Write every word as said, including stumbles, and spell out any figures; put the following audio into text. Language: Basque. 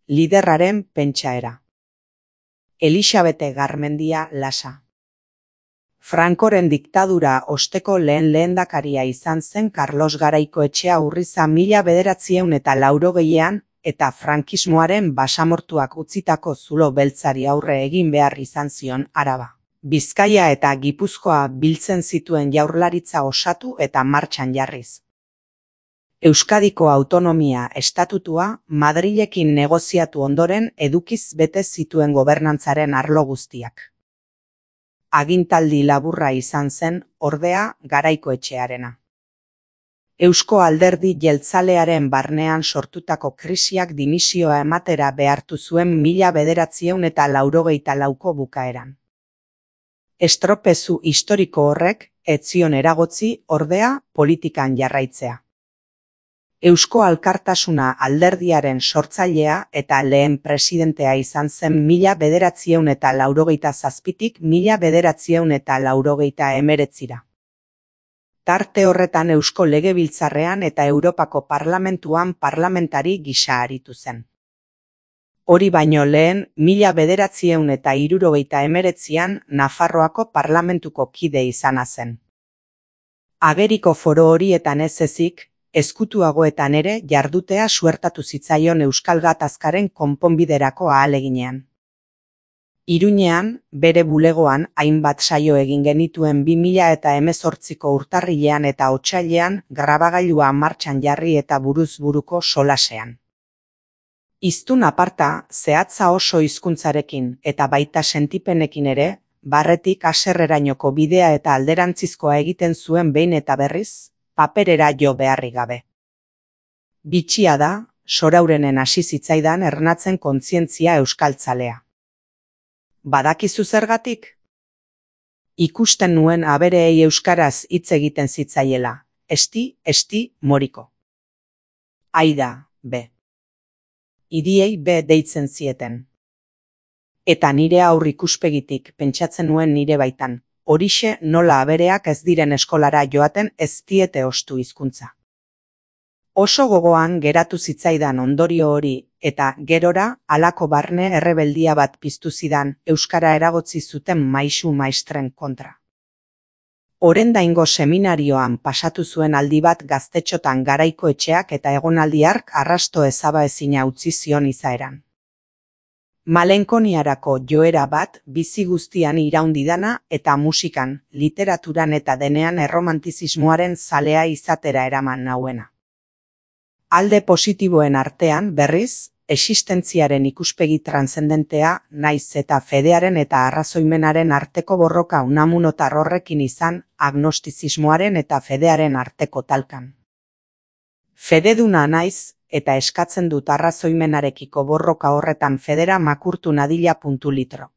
liderraren pentsaera. Elisabete Garmendia Lasa. Francoren diktadura osteko lehen lehendakaria izan zen Carlos Garaikoetxea Urriza mila bederatzieun eta laurogeian eta frankismoaren basamortuak utzitako zulo beltzari aurre egin behar izan zion Araba, Bizkaia eta Gipuzkoa biltzen zituen jaurlaritza osatu eta martxan jarriz. Euskadiko autonomia estatutua Madrilekin negoziatu ondoren edukiz bete zituen gobernantzaren arlo guztiak. Agintaldi laburra izan zen, ordea, Garaikoetxearena. Eusko Alderdi Jeltzalearen barnean sortutako krisiak dimisioa ematera behartu zuen mila bederatzieun eta laurogeita lauko bukaeran. Estropezu historiko horrek ez zion eragotzi, ordea, politikan jarraitzea. Eusko Alkartasuna alderdiaren sortzailea eta lehen presidentea izan zen mila bederatzieun eta laurogeita zazpitik mila bederatzieun eta laurogeita emeretzira. Tarte horretan Eusko Legebiltzarrean eta Europako Parlamentuan parlamentari gisa aritu zen. Hori baino lehen, mila bederatzieun eta hirurogeita emeretzian Nafarroako parlamentuko kide izana zen. Ageriko foro horietan ez ezik, ezkutuagoetan ere jardutea suertatu zitzaion Euskal Gatazkaren konponbiderako ahaleginean. Iruñean, bere bulegoan, hainbat saio egin genituen bi mila eta hemezortziko urtarrilean eta otsailean grabagailua martxan jarri eta buruz buruko solasean. Hiztun aparta, zehatza oso hizkuntzarekin eta baita sentipenekin ere, barretik haserrerainoko bidea eta alderantzizkoa egiten zuen behin eta berriz, paperera jo beharrik gabe. Bitxia da, Soraurenen hasi zitzaidan ernatzen kontzientzia euskaltzalea. Badakizu zergatik? Ikusten nuen abereei euskaraz hitz egiten zitzaiela, esti, esti, moriko. Aida, be. Hiriei be deitzen zieten. Eta nire aur ikuspegitik pentsatzen nuen nire baitan, horixe nola abereak ez diren eskolara joaten ez diete ostu hizkuntza. Oso gogoan geratu zitzaidan ondorio hori eta gerora halako barne errebeldia bat piztu zidan euskara eragotzi zuten maisu maistren kontra. Orendaingo seminarioan pasatu zuen aldi bat gaztetxotan Garaikoetxeak eta egonaldi hark arrasto ezabaezina utzi zion izaeran. Malenkoniarako joera bat bizi guztian iraundidana eta musikan, literaturan eta denean erromantizismoaren zalea izatera eraman nauena. Alde positiboen artean, berriz, existentziaren ikuspegi transzendentea naiz eta fedearen eta arrazoimenaren arteko borroka unamunotar horrekin izan agnostizismoaren eta fedearen arteko talkan. Fededuna naiz, eta eskatzen dut arrazoimenarekiko borroka horretan federa makurtu nadila puntu litro.